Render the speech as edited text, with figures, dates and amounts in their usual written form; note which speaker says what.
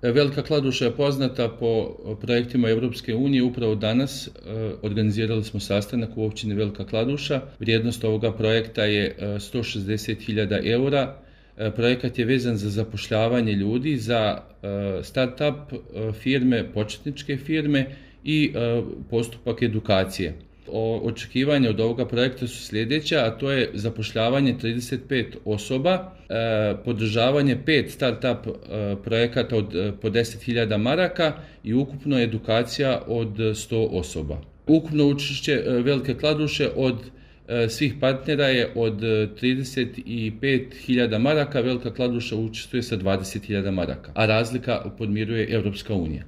Speaker 1: Velika Kladuša je poznata po projektima Europske unije. Upravo danas organizirali smo sastanak u općini Velika Kladuša. Vrijednost ovoga projekta je 160.000 eura. Projekat je vezan za zapošljavanje ljudi, za start-up firme, početničke firme i postupak edukacije. Očekivanja od ovoga projekta su sljedeća, a to je zapošljavanje 35 osoba, podržavanje 5 start-up projekata od po 10.000 maraka i ukupno edukacija od 100 osoba. Ukupno učešće Velike Kladuše od svih partnera je od 35.000 maraka, Velika Kladuša učestvuje sa 20.000 maraka, a razlika podmiruje Europska unija.